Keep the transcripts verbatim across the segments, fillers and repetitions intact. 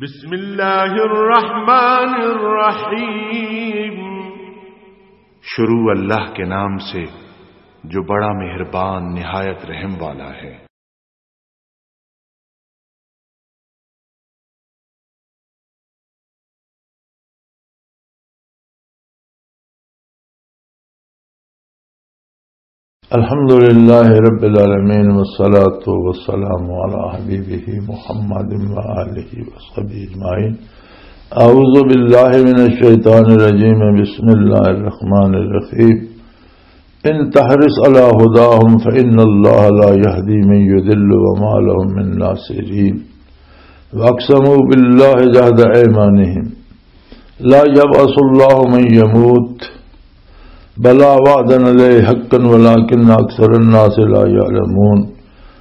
بسم اللہ الرحمن الرحیم۔ شروع اللہ کے نام سے جو بڑا مہربان نہایت رحم والا ہے۔ الحمد لله رب العالمين، والصلاة والسلام على حبيبه محمد وآله وصحبه أجمعين. أعوذ بالله من الشيطان الرجيم. بسم الله الرحمن الرحيم. إن تحرص على هداهم فإن الله لا يهدي من يضل وما لهم من ناصرين. وأقسموا بالله جهد أيمانهم لا يبعث الله من يموت بلى وعدا عليه حقا ولكن أكثر الناس لا يعلمون.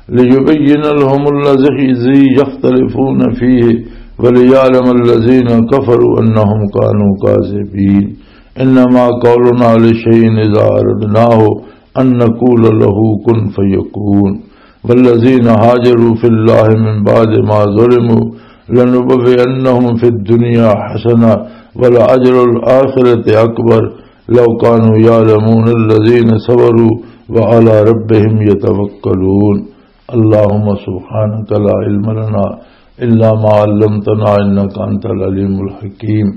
ليبين لهم الذي يختلفون فيه وليعلم الذين كفروا أنهم كانوا كاذبين. إنما قولنا لشيء إذا أردناه أن نقول له كن فيكون. والذين هاجروا في الله من بعد ما ظلموا لنبوئنهم في الدنيا حسنة ولأجر الآخرة أكبر لو كانوا يعلمون. الذين صبروا وعلى ربهم يتوكلون. اللهم سبحانك لا علم لنا إلا ما علمتنا إنك أنت العليم الحكيم.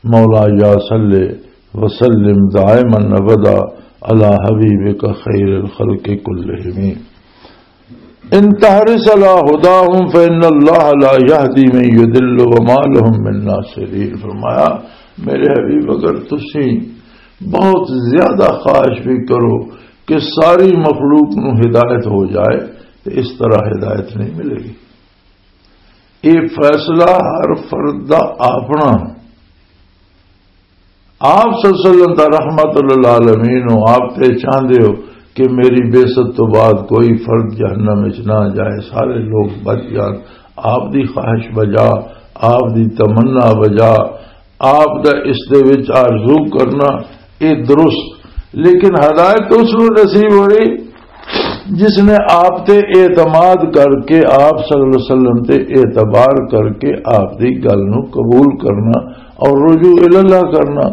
مولاي صل وسلم دائما أبدا على حبيبك خير الخلق كلهم. إن تحرص على هداهم فإن الله لا يهدي من يضل وما لهم من ناصرين. فرمایا، میرے حبیب، اگر تسی بہت زیادہ خواہش بھی کرو کہ ساری مخلوق نو ہدایت ہو جائے، تو اس طرح ہدایت نہیں ملے گی۔ یہ فیصلہ ہر فرد دا اپنا۔ آپ صلی اللہ علیہ وسلم دا رحمت للعالمین ہو، آپ تے چاہندے ہو کہ میری بعثت تو بعد کوئی فرد جہنم وچ نہ جائے، سارے لوگ بچ جان۔ آپ دی خواہش بجا، آپ دی تمنا بجا، آپ دا اس دے وچ آرزو کرنا، اے درست۔ لیکن ہدایت اس نوں نصیب ہوئی جس نے آپ تے اعتماد کر کے، آپ صلی اللہ علیہ وسلم تے اعتبار کر کے آپ دی گل نوں قبول کرنا اور رجوع الی اللہ کرنا۔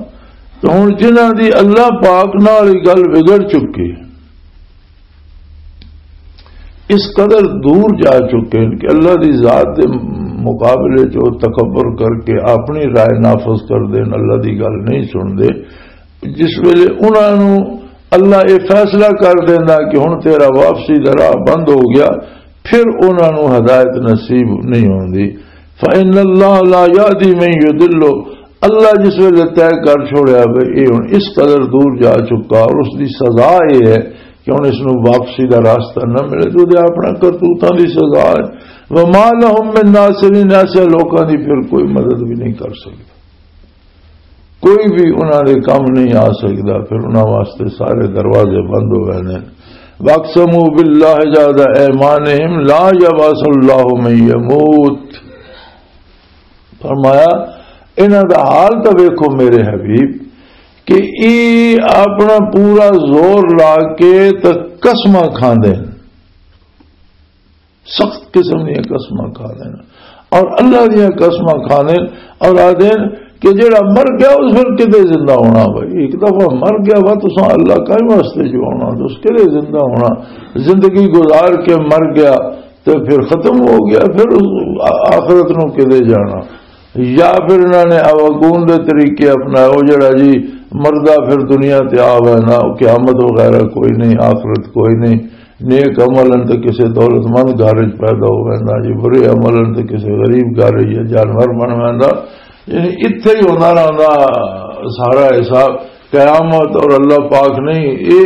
تو ہن جنہاں دی اللہ پاک نال ہی گل بگڑ چکی، اس قدر دور جا چکے ہیں کہ اللہ دی ذات دے مقابلے چ وہ تکبر کر کے اپنی رائے نافذ کر دین، اللہ دی گل نہیں سن دے۔ جس ویلے انہاں نوں اللہ یہ فیصلہ کر دیندا کہ ہن تیرا واپسی دا راہ بند ہو گیا، پھر انہاں نوں ہدایت نصیب نہیں ہوندی۔ فإن اللہ لا یہدی من یضل، اللہ جس ویلے طے کر چھوڑیا وے، یہ ہن اس قدر دور جا چکا اور اس دی سزا یہ ہے کہ ہن اس نوں واپسی دا راستہ نہ ملے، تو دے اپنا کرتوتاں دی سزا ہے۔ وما لهم من ناصرین، ایسے لوکاں دی پھر کوئی مدد بھی نہیں کر سکدا، کوئی بھی انہاں دے کم نہیں آ سکدا، پھر انہاں واسطے سارے دروازے بند ہو گئے نے۔ واقسموا باللہ جہد ایمانہم لا یبعث اللہ من یموت۔ فرمایا، انہاں دا حال تاں ویکھو میرے حبیب، کہ ای اپنا پورا زور لا کے تے قسماں کھاندے نے، سخت قسم دیاں قسماں کھاندے نے، اور اللہ دیاں قسماں کھاندے نے، اور آدھے نے کہ جڑا مر گیا اس پھر کدے زندہ ہونا؟ بھائی، ایک دفعہ مر گیا وا، تساں اللہ کائیں واسطے جو ہونا، تو اس کدے زندہ ہونا؟ زندگی گزار کے مر گیا، تے پھر ختم ہو گیا، پھر اس آ-، آخرت نو کدے جانا؟ یا پھر انہاں نے آواگون دے طریقے اپنائے، وہ جڑا جی مردہ پھر دنیا تے آ وینا، قیامت وغیرہ کوئی نہیں، آخرت کوئی نہیں، نیک عمل ان تے کسے دولت مند گھر وچ پیدا ہو ویندا جی، برے عمل ان تے کسے غریب گھر وچ یا جانور بن ویندا، یعنی اتھے ہی ہوندا رہندا سارا حساب۔ قیامت اور اللہ پاک نہیں، یہ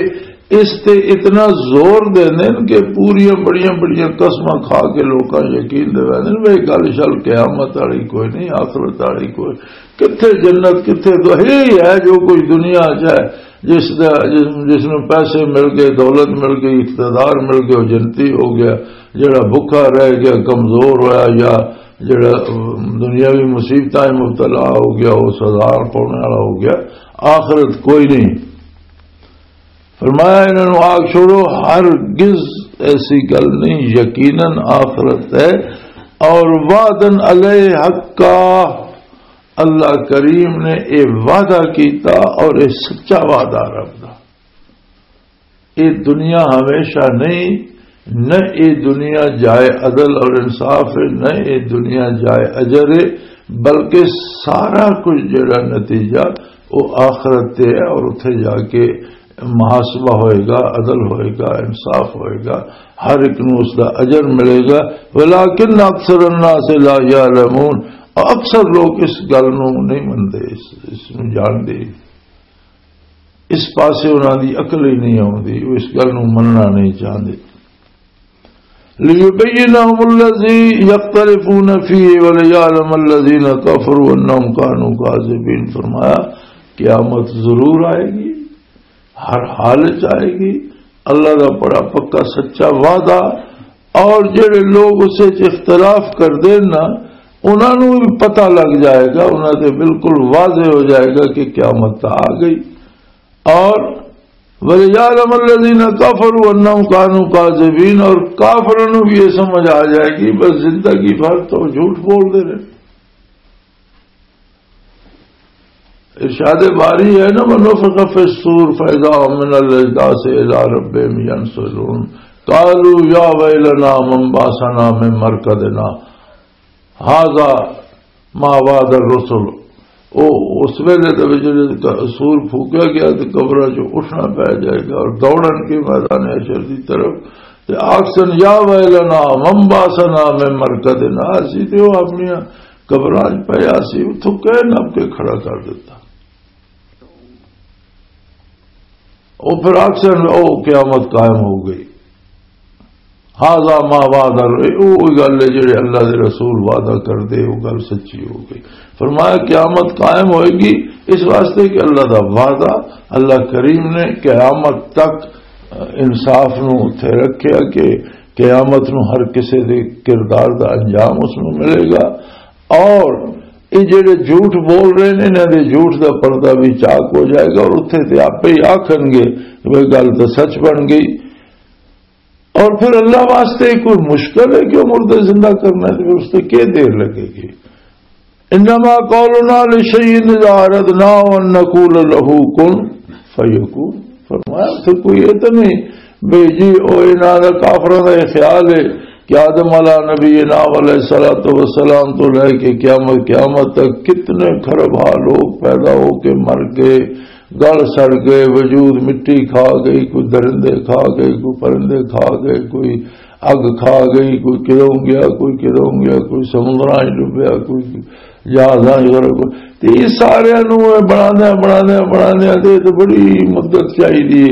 اس تے اتنا زور دیندے نے کہ پوریاں بڑیاں بڑیاں قسماں کھا کے لوکاں یقین دے ویندے نے، بھئی گل شل قیامت والی کوئی نہیں، آخرت والی کوئی، کتھے جنت، کتھے دو-، یہی ہے جو کچھ دنیا چ ہے، جس دا، جس، جس نوں پیسے مل گئے، دولت مل گئی، اقتدار مل گئے، وہ جنتی ہو گیا، جڑا بھکھا رہ گیا، کمزور ہویا یا جڑا، ام، دنیاوی مصیبتاں مبتلا ہو گیا، وہ سزا پانے والا ہو گیا، آخرت کوئی نہیں۔ فرمایا، انہاں نوں آگ چھوڑو، ہرگز ایسی گل نہیں، یقیناً آخرت ہے، اور وعدن علیہ حقا، اللہ کریم نے یہ وعدہ کیتا اور یہ سچا وعدہ رب دا۔ یہ دنیا ہمیشہ نہیں، نہ یہ دنیا جائے عدل اور انصاف ہے، نہ یہ دنیا جائے اجر ہے، بلکہ سارا کچھ جڑا نتیجہ وہ آخرت تے ہے اور اتھے جا کے محاسبہ ہوئے گا، عدل ہوئے گا، انصاف ہوئے گا، ہر ایک نوں اس دا اجر ملے گا۔ ولیکن اکثر الناس لا یعلمون، اکثر لوگ اس گل نوں نہیں منتے، اس، اس نوں جانتے، اس پاسے انہاں دی عقل ہی نہیں آوندی، وہ اس گل نوں مننا نہیں چاہندے۔ لیبین لهم الذی یختلفون فیہ ولیعلم الذین کفروا انہم کانوا کاذبین۔ فرمایا، قیامت ضرور آئے گی، ہر حال وچ آئے گی۔ اللہ دا بڑا پکا سچا وعدہ، اور جڑے لوگ اس وچ اختلاف کردے نا، انہاں نوں بھی پتہ لگ جائے گا، انہاں تے بالکل واضح ہو جائے گا کہ قیامت آ گئی۔ اور وَلِيَعْلَمَ الَّذِينَ كَفَرُوا أَنَّهُمْ كَانُوا كَاذِبِينَ، اور کافروں نوں بھی یہ سمجھ آ جائے گی بس زندگی بھر تو جھوٹ بول دے رہے۔ ارشاد باری ہے نا، وَنُفِخَ فِي الصُّورِ فَإِذَا هُم مِّنَ الْأَجْدَاثِ إِلَىٰ رَبِّهِمْ يَنسِلُونَ، قَالُوا يَا وَيْلَنَا مَنْ بَعَثَنَا مِن مَّرْقَدِنَا هَٰذَا مَا وَعَدَ الرُّسُلُ۔ او، اس ویلے تے وچ جدوں سور پھونکیا گیا تے قبراں چوں اٹھنا پے جائے گا اور دوڑن کے میدان حشر دی طرف، تے آکھسن، "یا ویلنا من بعثنا من مرقدنا"، اسی تے او اپنی قبراں چ پیا سی، اتھوں کہہ نپ کے کھڑا کر دیتا۔ او پھر آکھسن، "او قیامت قائم ہو گئی۔" هذا ما وعد الر-، او گل ہے جڑے اللہ دے رسول وعدہ کر دے، وہ گل سچی ہو گئی۔ فرمایا، قیامت قائم ہوئے گی اس واسطے کہ اللہ دا وعدہ، اللہ کریم نے قیامت تک انصاف نو اتھے رکھیا کہ قیامت نو ہر کسے دے کردار دا انجام اس نو ملے گا۔ اور یہ جڑے جھوٹ بول رہے نے، انہاں دے جھوٹ دا پردہ بھی چاک ہو جائے گا اور اتھے تے آپے ہی آکھن گے کہ بھئی گل تے سچ بن گئی۔ اور پھر اللہ واسطے کوئی مشکل ہے کہ وہ مردے زندہ کرنا ہے؟ تو پھر اس سے کیا دیر لگے گی؟ انما قولنا لشیء اذا اردناه ان نقول له کن فیکون۔ فرمایا، پھر کوئی یہ تو نہیں بھئی جی، او انہاں دا، کافراں دا یہ خیال ہے کہ آدم علیہ نبینا علیہ الصلوۃ والسلام تو لے کے قیامت، قیامت تک کتنے کھرب ہا لوگ پیدا ہو کے مر گئے، گل سڑ گئے، وجود مٹی کھا گئی، کوئی درندے کھا گئے، کوئی پرندے کھا گئے، کوئی اگ کھا گئی، کوئی کدوں گیا، کوئی کدوں گیا، کوئی سمندراں وچ ڈبیا، کوئی جہازاں وچ غرق۔ تے یہ سارے نوں بناندے، بناندے، بناندے تے، تے بڑی مدت چاہیے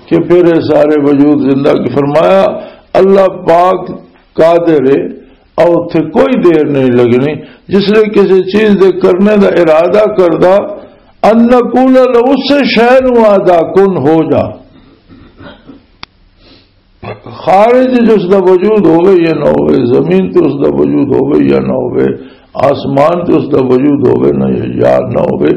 کہ پھر یہ سارے وجود زندہ۔ کہ فرمایا، اللہ پاک قادر ہے، اور اتھے کوئی دیر نہیں لگنی۔ جس نے کسی چیز دے کرنے دا ارادہ کردا، ان نقول له، اس سے شے نوں آدا، کن، ہو جا۔ خارج جو اس دا وجود ہوے یا نہ ہوے، زمین تے اس دا وجود ہوے یا نہ ہوے، آسمان تے اس دا وجود ہوے نہ یا نہ ہوے،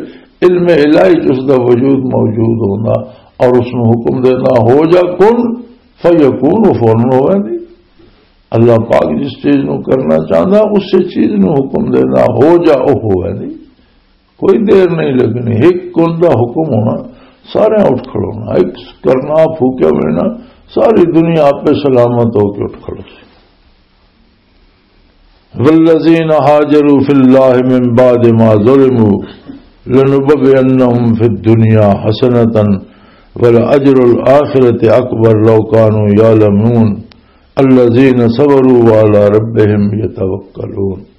علم الہی تے اس دا وجود موجود ہونا اور اس نوں حکم دینا، ہو جا کن فیکون، وہ فوراً ہوے۔ اللہ پاک جس چیز نو کرنا چاہندا، اس سے چیز نو حکم دینا، ہو جا، او ہوے نہیں۔ کوئی دیر نہیں لگنی، ایک کن دا حکم ہونا، سارے اٹھ کھڑونا، ایک کرنا پھوکیا ہونا، ساری دنیا آپ پہ سلامت ہو کے اٹھ کھڑو سی۔ والذین هاجروا فی اللہ من بعد ما ظلموا لنبوئنهم فی الدنیا حسنة ولأجر الآخرة اکبر لو کانوا یعلمون۔ الذین صبروا وعلی ربهم یتوکلون۔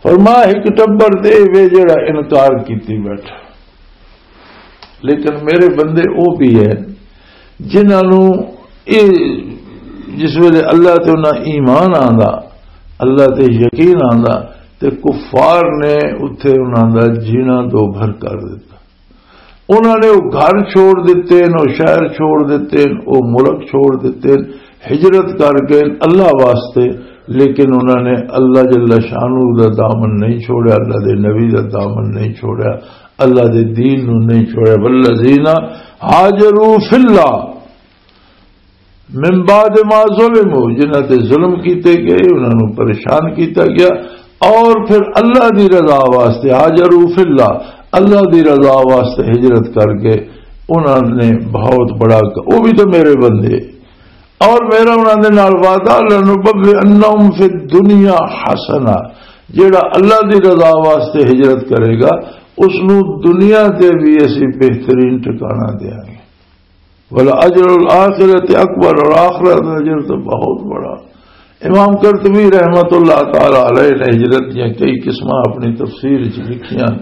فرمایا، ایک ٹبر تے وے جڑا انکار کیتی بیٹھا، لیکن میرے بندے او بھی ہے جنہاں نوں اے، جس ویلے اللہ تے انہاں ایمان آندا، اللہ تے یقین آندا، تے کفار نے اتھے انہاں دا جینا دو بھر کر دیتا۔ انہاں نے وہ گھر چھوڑ دیتے ہیں، وہ شہر چھوڑ دیتے ہیں، وہ ملک چھوڑ دیتے ہیں، ہجرت کر گئے اللہ واسطے، لیکن انہاں نے اللہ جل شانہ دا دامن نہیں چھوڑیا، اللہ دے نبی دا دامن نہیں چھوڑیا، اللہ دے دین نو نہیں چھوڑیا۔ والذین ہاجروا فی اللہ، من بعد ما ظلموا، جنہاں تے ظلم کیتے گئے، انہاں نوں پریشان کیتا گیا، اور پھر اللہ دی رضا واسطے، هاجروا في الله، اللہ دی رضا واسطے ہجرت کر کے انہاں نے بہت بڑا ک-، وہ بھی تو میرے بندے۔ اور میرا انہاں دے نال وعدہ، لَنُبَوِّئَنَّهُمْ فِي الدُّنْيَا حَسَنَةً، جیڑا اللہ دی رضا واسطے ہجرت کرے گا، اس نوں دنیا تے بھی اسی بہترین ٹھکانہ دیاں گے۔ وَلَأَجْرُ الْآخِرَةِ أَكْبَرُ، اور آخرت دا اجر تو بہت بڑا۔ امام قرطبی رحمت اللہ تعالی علیہ نے ہجرت دیاں کئی قسماں اپنی تفسیر وچ لکھیاں،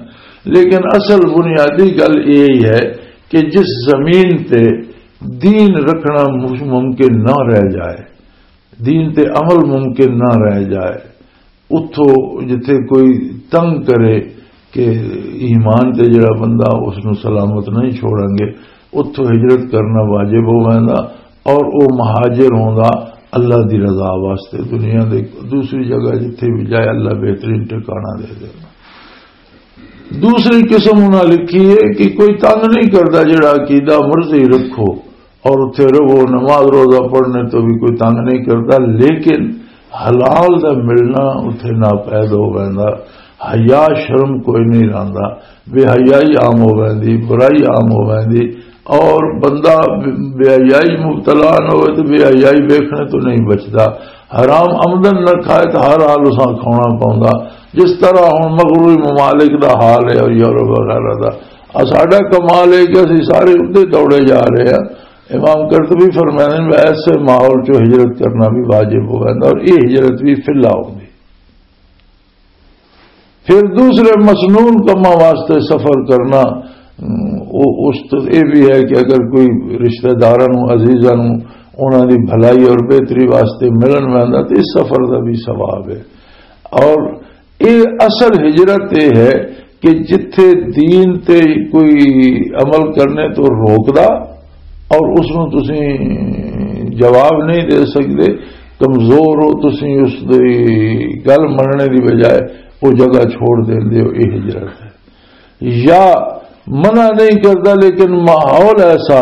لیکن اصل بنیادی گل یہی ہے کہ جس زمین تے دین رکھنا مش-، ممکن نہ رہ جائے، دین تے عمل ممکن نہ رہ جائے، اتھوں جتھے کوئی تنگ کرے کہ ایمان تے جڑا بندہ، اس نو سلامت نہیں چھوڑیں گے، اتھوں ہجرت کرنا واجب ہو ویندا۔ اور او مہاجر ہوندا اللہ دی رضا واسطے، دنیا دے دوسری جگہ جتھے بھی جائے، اللہ بہترین ٹھکانہ دے دینا۔ دوسری قسم انہاں لکھی ہے کہ کوئی تنگ نہیں کردا، جڑا عقیدہ مرضی رکھو اور اتھے رہو، نماز روزہ پڑھنے تو بھی کوئی تنگ نہیں کردا، لیکن حلال دا ملنا اتھے ناپید ہو ویندا، حیا شرم کوئی نہیں رہندا، بے حیائی عام ہو ویندی، برائی عام ہو ویندی، اور بندہ بے حیائی مبتلا نہ ہوئے تو بے حیائی ویکھنے تو نہیں بچدا۔ حرام آمدن نہ کھائے تو ہر حال اساں کھانا پوندا۔ جس طرح ہن مغربی ممالک دا حال ہے اور یورپ وغیرہ دا، آ ساڈا کمال ہے کہ اسی سارے ادھر دوڑے جا رہے ہیں۔ امام قرطبی فرمانے میں ایسے ماحول چوں ہجرت کرنا بھی واجب ہو ویندا اور یہ ہجرت بھی فی اللہ ہوندی۔ پھر دوسرے مسنون کماں واسطے سفر کرنا، ام، او، اس تو یہ بھی ہے کہ اگر کوئی رشتہ داراں نوں، عزیزاں نوں، انہاں دی بھلائی اور بہتری واسطے ملن ویندا تو اس سفر دا بھی ثواب ہے۔ اور یہ اصل ہجرت یہ ہے کہ جتھے دین تے کوئی عمل کرنے تو روکدا اور اس نوں تسی جواب نہیں دے سکدے، کمزور ہو تسی اس دی گل مننے دی بجائے، وہ جگہ چھوڑ دیندے ہو، یہ ہجرت ہے۔ یا منع نہیں کردا، لیکن ماحول ایسا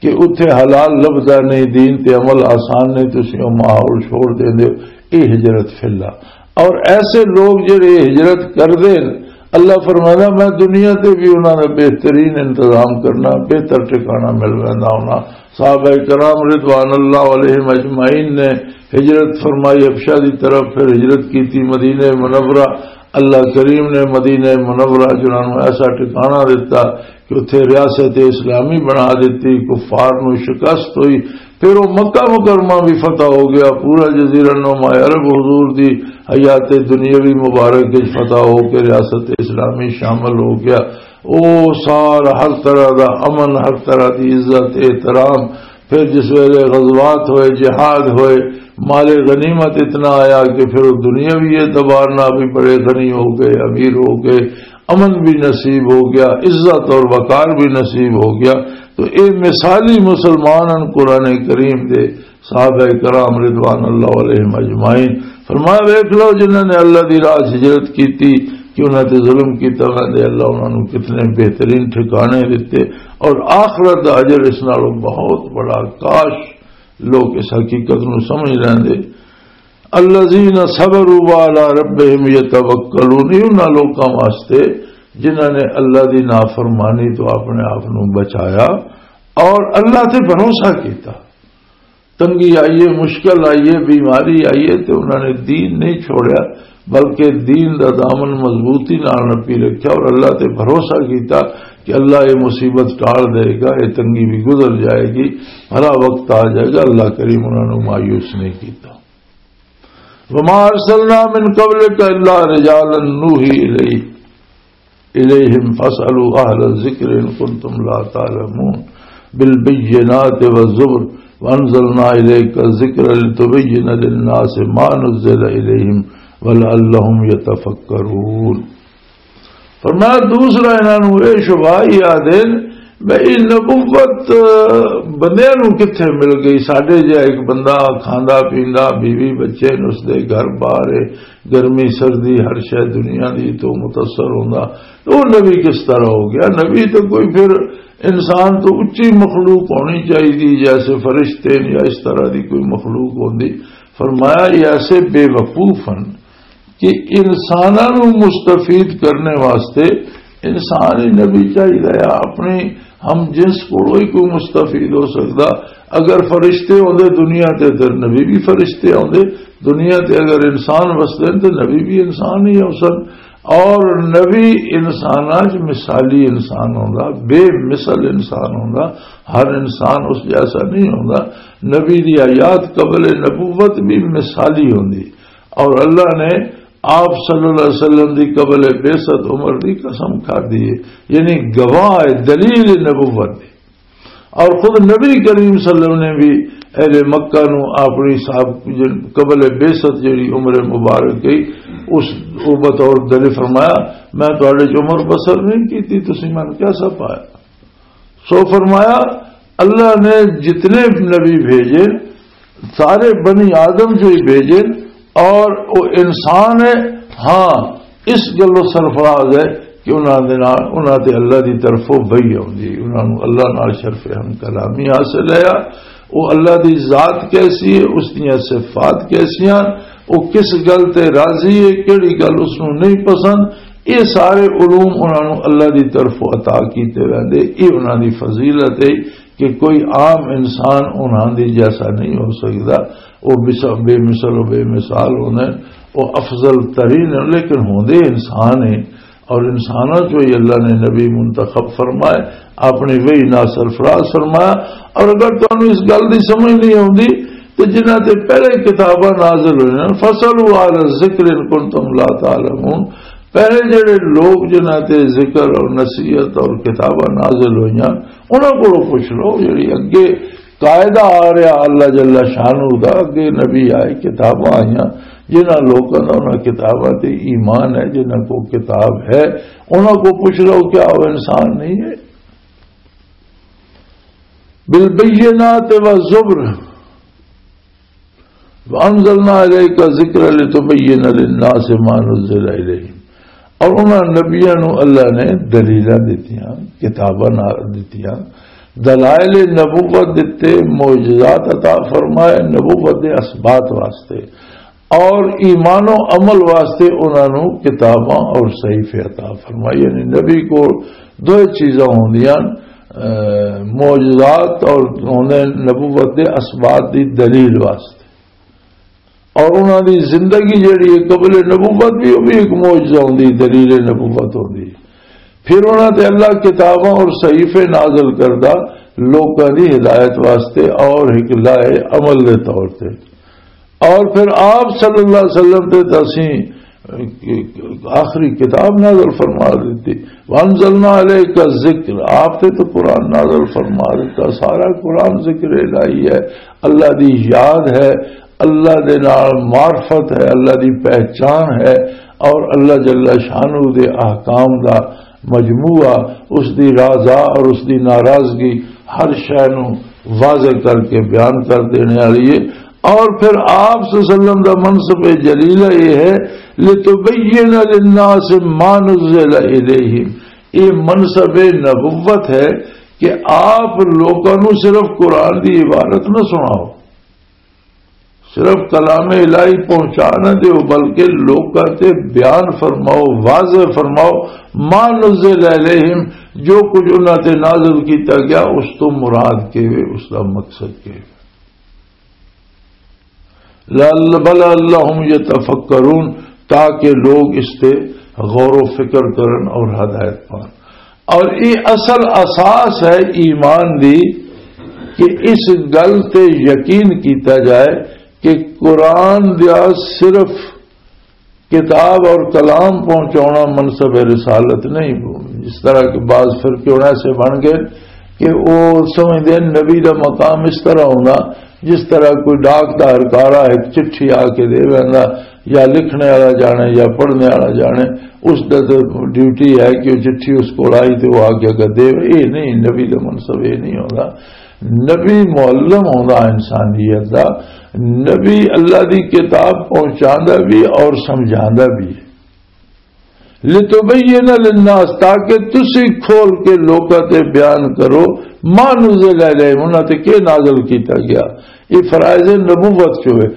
کہ اتھے حلال لبھدا نہیں، دین تے عمل آسان نہیں، تسی او ماحول چھوڑ دیندے ہو، یہ ہجرت فی اللہ۔ اور ایسے لوگ جڑے ہجرت کردے نے، اللہ فرمائدا، میں دنیا تے بھی انہاں دا بہترین انتظام کرنا، بہتر ٹھکانہ مل ویندا انہاں۔ صحابہ کرام رضوان اللہ علیہم اجمعین نے ہجرت فرمائی حبشہ دی طرف، پھر ہجرت کیتی مدینہ منورہ۔ اللہ کریم نے مدینہ منورہ جنہاں نوں ایسا ٹھکانہ دتا کہ اتھے ریاست اسلامی بنا دتی، کفار نوں شکست ہوئی۔ پھر وہ مکہ مکرمہ بھی فتح ہو گیا، پورا جزیرہ نما عرب حضور دی حیات دنیاوی مبارک وچ فتح ہو کے ریاست اسلامی شامل ہو گیا۔ او سارا ہر طرح دا امن، ہر طرح دی عزت، احترام۔ پھر جس ویلے غزوات ہوئے، جہاد ہوئے، مال غنیمت اتنا آیا کہ پھر وہ دنیاوی اعتبار نہ بھی بڑے غنی ہو گئے، امیر ہو گئے، امن بھی نصیب ہو گیا، عزت اور وقار بھی نصیب ہو گیا۔ تو اے مثالی مسلمان ہیں قرآن کریم دے، صحابہ کرام رضوان اللہ علیہم اجمعین۔ فرمایا، ویکھ لو جنہاں نے اللہ دی راہ ہجرت کیتی، کہ انہاں تے ظلم کیتا، انہاں دے اللہ انہاں نوں کتنے بہترین ٹھکانے دتے، اور آخرت دا اجر اس نالوں بہت بڑا۔ کاش لوگ اس حقیقت نوں سمجھ لیندے۔ الذین صبروا وعلی ربہم یتوکلون، یہ انہاں لوکاں واسطے جنہاں نے اللہ دی نافرمانی تو اپنے آپ نوں بچایا اور اللہ تے بھروسہ کیتا۔ تنگی آئی ہے، مشکل آئی ہے، بیماری آئی ہے، تے انہاں نے دین نہیں چھوڑیا، بلکہ دین دا دامن مضبوطی نال نپی رکھیا اور اللہ تے بھروسہ کیتا کہ اللہ یہ مصیبت ٹال دے گا، یہ تنگی بھی گزر جائے گی، بھلا وقت آ جائے گا۔ اللہ کریم انہاں نوں مایوس نہیں کیتا۔ وما ارسلنا من قبلك الا رجالا نوحي اليه الیہم فاسألوا اہل الذکر ان کنتم لا تعلمون، بالبینات والزبر، وانزلنا الیک الذکر لتبین للناس ما نزل الیہم ولعلہم یتفکرون۔ فرمایا، دوسرا انہاں نوں یہ شبہ ہی آ دین، بھئی نبوت بندیاں نوں کتھے مل گئی؟ ساڈے جہا ایک بندہ کھاندا پیندا، بیوی بچے نے، اس دے گھر بار ہے، گرمی سردی ہر شے دنیا دی تو متاثر ہوندا، تو وہ نبی کس طرح ہو گیا؟ نبی تو کوئی پھر انسان تو اچی مخلوق ہونی چاہیے، جیسے فرشتے ہیں یا اس طرح دی کوئی مخلوق ہوندی۔ فرمایا، یہ ایسے بے وقوف ہیں کہ انساناں نوں مستفید کرنے واسطے انسان ہی نبی چاہیدا ہے۔ اپنی ہم جنس کولوں ہی کوئی مستفید ہو سکدا۔ اگر فرشتے ہوندے دنیا تے، تے نبی بھی فرشتے ہوندے۔ دنیا تے اگر انسان وسدے تے نبی بھی انسان ہی ہو سن۔ اور نبی انساناں چ مثالی انسان ہوندا، بے مثل انسان ہوندا۔ ہر انسان اس جیسا نہیں ہوندا۔ نبی دی حیات قبل نبوت بھی مثالی ہوندی۔ اور اللہ نے آپ صلی اللہ علیہ وسلم دی قبل بعثت عمر دی قسم کھا دی ہے، یعنی گواہ ہے، دلیل نبوت دی۔ اور خود نبی کریم صلی اللہ علیہ وسلم نے بھی اہل مکہ نو اپنی صاحب قبل بعثت جڑی عمر مبارک گئی، اس کو بطور دلیل فرمایا، "میں تہاڈے چ عمر بسر نہیں کیتی، تسی مینوں کیسا پایا؟" سو فرمایا، اللہ نے جتنے نبی بھیجے، سارے بنی آدم جو ہی بھیجے، اور وہ انسان ہے۔ ہاں، اس گلوں سرفراز ہے کہ انہاں دے نال، انہاں تے اللہ دی طرفوں وحی آوندی، انہاں نوں اللہ نال شرف ہم کلامی حاصل ہے۔ وہ اللہ دی ذات کیسی ہے، اس دیاں صفات کیسیاں، وہ کس گل تے راضی ہے، کیڑی گل اس نوں نہیں پسند، یہ سارے علوم انہاں نوں اللہ دی طرفوں عطا کیتے ویندے، یہ انہاں دی فضیلت ہے۔ کہ کوئی عام انسان انہاں دی جیسا نہیں ہو سکدا۔ وہ بس-، بے مثل و بے مثال ہوندے، وہ افضل ترین ہیں، لیکن ہوندے انسان ہیں۔ اور انساناں چوں ہی اللہ نے نبی منتخب فرمائے، اپنی وحی نال سرفراز فرمایا۔ اور اگر تانوں اس گل دی سمجھ نہیں آوندی، تے جنہاں تے پہلے کتاباں نازل ہوئیاں، فَاسْأَلُوا أَهْلَ الذِّكْرِ إِن كُنتُمْ لَا تَعْلَمُونَ، پہلے جڑے لوگ جنہاں تے ذکر اور نصیحت اور کتاباں نازل ہوئیاں، انہاں کولوں پوچھ لو۔ جڑی اگے قاعدہ آ رہا اللہ جل شانہ دا، اگے نبی آئے، کتاباں آئیاں، جنہاں لوکاں دا انہاں کتاباں تے ایمان ہے، جنہاں کو کتاب ہے، انہاں کو پوچھ لو، کیا وہ انسان نہیں ہے؟ بالبینات والزبر، وانزلنا الیک الذکر لتبین للناس ما نزل الیہم۔ اور انہاں نبیاں نوں اللہ نے دلیلاں دتیاں، کتاباں نال دتیاں، دلائل نبوت دتے، معجزات عطا فرمائے نبوت دے اثبات واسطے، اور ایمان و عمل واسطے انہاں نوں کتاباں اور صحیفے عطا فرمائے۔ یعنی نبی کو دو چیزاں ہوندیاں، اے، معجزات اور ہوندے نبوت دے اثبات دی دلیل واسطے۔ اور انہاں دی زندگی جڑی ہے قبل نبوت بھی، وہ بھی ایک معجزہ ہوندی، دلیل نبوت ہوندی۔ پھر انہاں تے اللہ کتاباں اور صحیفے نازل کردہ لوکاں دی ہدایت واسطے اور ایک لائے عمل دے طور تے۔ اور پھر آپ صلی اللہ علیہ وسلم تے تسی آخری کتاب نازل فرما دیتی۔ وانزلنا علیک الذکر، آپ تے تو قرآن نازل فرما دیتا۔ سارا قرآن ذکر الہی ہے، اللہ دی یاد ہے، اللہ دے نال معرفت ہے، اللہ دی پہچان ہے، اور اللہ جل شانہ دے احکام دا مجموعہ، اس دی رضا اور اس دی ناراضگی، ہر شے نوں واضح کر کے بیان کر دینے والی ہے۔ اور پھر آپ صلی اللہ علیہ وسلم دا منصب جلیلہ یہ ہے، لتبین للناس ما نزل الیہم۔ یہ منصب نبوت ہے کہ آپ لوکاں نوں صرف قرآن دی عبارت نہ سناؤ، صرف کلام الہی پہنچا نہ دیو، بلکہ لوکاں تے بیان فرماؤ، واضح فرماؤ، ما نزل الیہم، جو کچھ انہاں تے نازل کیتا گیا، اس تو مراد کے وے، اس دا مقصد کے وے۔ لعل-، بل اللہم یتفکرون، تاکہ لوگ اس تے غور و فکر کرن اور ہدایت پان۔ اور یہ اصل اساس ہے ایمان دی کہ اس گل تے یقین کیتا جائے کہ قرآن دا صرف کتاب اور کلام پہنچانا منصب رسالت نہیں۔ اس طرح کہ بعض فرقے ہن ایسے بن گئے کہ وہ سمجھدے ہیں نبی دا مقام اس طرح ہونا، جس طرح کوئی ڈاک دا ہرکارا ایک چٹھی آ کے دے ویندا، یا لکھنے والا جانے یا پڑھنے والا جانے، اس دا تے ڈیوٹی ہے کہ وہ چٹھی اس کو آئی تے وہ آ کے اگر دے۔ یہ نہیں، نبی دا منصب یہ نہیں ہوتا۔ نبی معلم ہوتا انسانیت دا، نبی اللہ دی کتاب پہنچاندا بھی اور سمجھاندا بھی۔ لتبین للناس، تاکہ تسی کھول کے لوکاں تے بیان کرو، ما نزل الیہم، انہاں تے کی نازل کیتا گیا۔ یہ فرائض نبوت چ ہوئے۔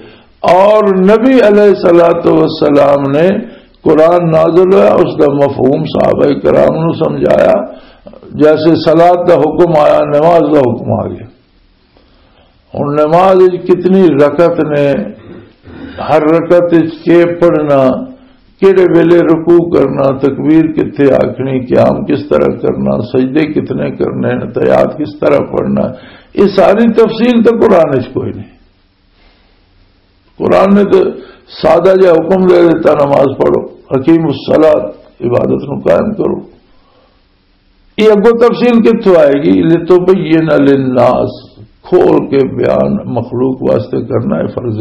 اور نبی علیہ الصلوۃ والسلام نے قرآن نازل ہوا، اس دا مفہوم صحابہ کرام نو سمجھایا۔ جیسے صلاۃ دا حکم آیا، نماز دا حکم آ گیا۔ ہن نماز وچ کتنی رکعت نے، ہر رکعت وچ کے پڑھنا، کیڑے ویلے رکوع کرنا، تکبیر کتھے آکھنی، قیام کس طرح کرنا، سجدے کتنے کرنے، تحیات کس طرح پڑھنا، یہ ساری تفصیل تو قرآن وچ کوئی نہیں۔ قرآن نے تو سادہ جہا حکم دے دیتا، نماز پڑھو، اقیموا الصلاۃ، عبادت نو قائم کرو۔ یہ اگوں تفصیل کتھوں آئے گی؟ لتبین للناس، کھول کے بیان مخلوق واسطے کرنا ہے، فرض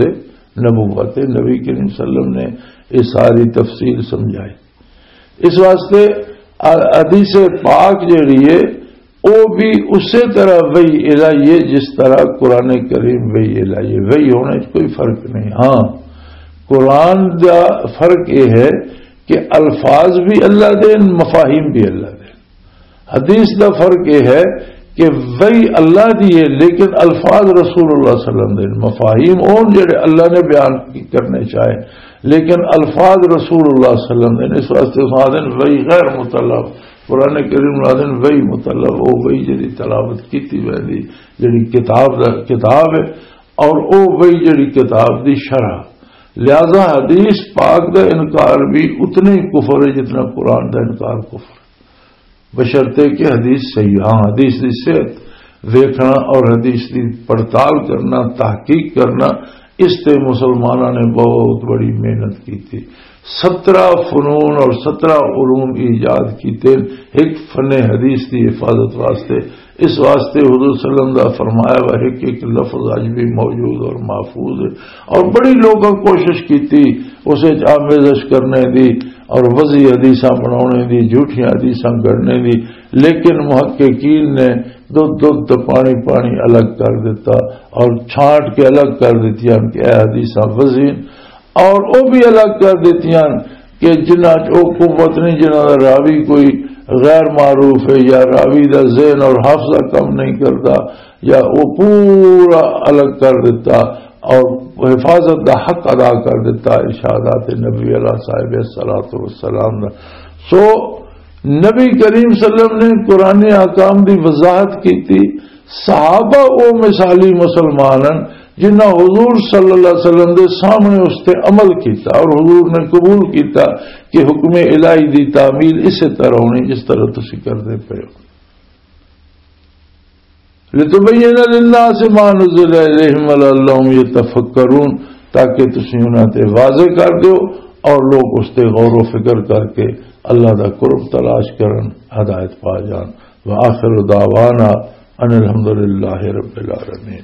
نبوت ہے۔ نبی کریم صلی اللہ علیہ وسلم نے یہ ساری تفصیل سمجھائی۔ اس واسطے حدیث پاک جیڑی ہے، وہ بھی اسی طرح وحی الہی ہے جس طرح قرآن کریم وحی الہی ہے۔ وحی ہونے چ کوئی فرق نہیں۔ ہاں، قرآن دا فرق یہ ہے کہ الفاظ بھی اللہ دے، مفاہیم بھی اللہ دے۔ حدیث دا فرق یہ ہے کہ وحی اللہ دی ہے، لیکن الفاظ رسول اللہ صلی اللہ علیہ وسلم دے، مفاہیم اون جڑے اللہ نے بیان کرنے چاہے، لیکن الفاظ رسول اللہ صلی اللہ علیہ وسلم دے۔ اس واسطے اس آدھے وحی غیر مطلب، قرآن کریم آدھے وحی مطلب، وہ وحی جڑی تلاوت کیتی ویندی، جڑی کتاب دا، کتاب ہے، اور وہ وحی جڑی کتاب دی شرح۔ لہذا حدیث پاک دا انکار بھی اتنا ہی کفر ہے جتنا قرآن دا انکار کفر ہے، بشرطے کہ حدیث صحیح۔ ہاں، حدیث دی صحت ویکھنا اور حدیث دی پڑتال کرنا، تحقیق کرنا، اس تے مسلماناں نے بہت بڑی محنت کی تھی۔ سترہ فنون اور سترہ علوم ایجاد کیتے ایک فن حدیث دی حفاظت واسطے۔ اس واسطے حضور صلی اللہ علیہ وسلم دا فرمایا ہوا ایک ایک لفظ اج بھی موجود اور محفوظ ہے۔ اور بڑی لوگاں کوشش کیتی اس وچ آمیزش کرنے دی اور وضعی حدیثاں بنانے دی، جھوٹیاں حدیثاں گڑنے دی، لیکن محققین نے دودھ دودھ تے پانی پانی الگ کر دیتا اور چھانٹ کے الگ کر دیتی ہیں کہ اے حدیثاں وضعی ہیں۔ اور وہ بھی الگ کر دیتی ہیں کہ جنہاں چ وہ قوت نہیں، جنہاں دا راوی کوئی غیر معروف ہے یا راوی دا ذہن اور حافظہ کم نہیں کرتا، یا وہ پورا الگ کر دیتا اور حفاظت دا حق ادا کر دیتا ارشادات نبی علیہ صاحب الصلوۃ والسلام دا۔ سو نبی کریم صلی اللہ علیہ وسلم نے قرآن احکام دی وضاحت کی تھی۔ صحابہ او مثالی مسلمان ہیں جنہاں حضور صلی اللہ علیہ وسلم دے سامنے اس تے عمل کیتا اور حضور نے قبول کیتا کہ حکم الہی دی تعمیل اسی طرح ہونی جس طرح تسی کردے پے ہو۔ لتبین للناس ما نزل الیہم ولعلہم یتفکرون، تاکہ تسی انہاں تے واضح کر دیو اور لوگ اس تے غور و فکر کر کے اللہ دا قرب تلاش کرن، ہدایت پا جان۔ وآخر دعوانا ان الحمدللہ رب العالمین۔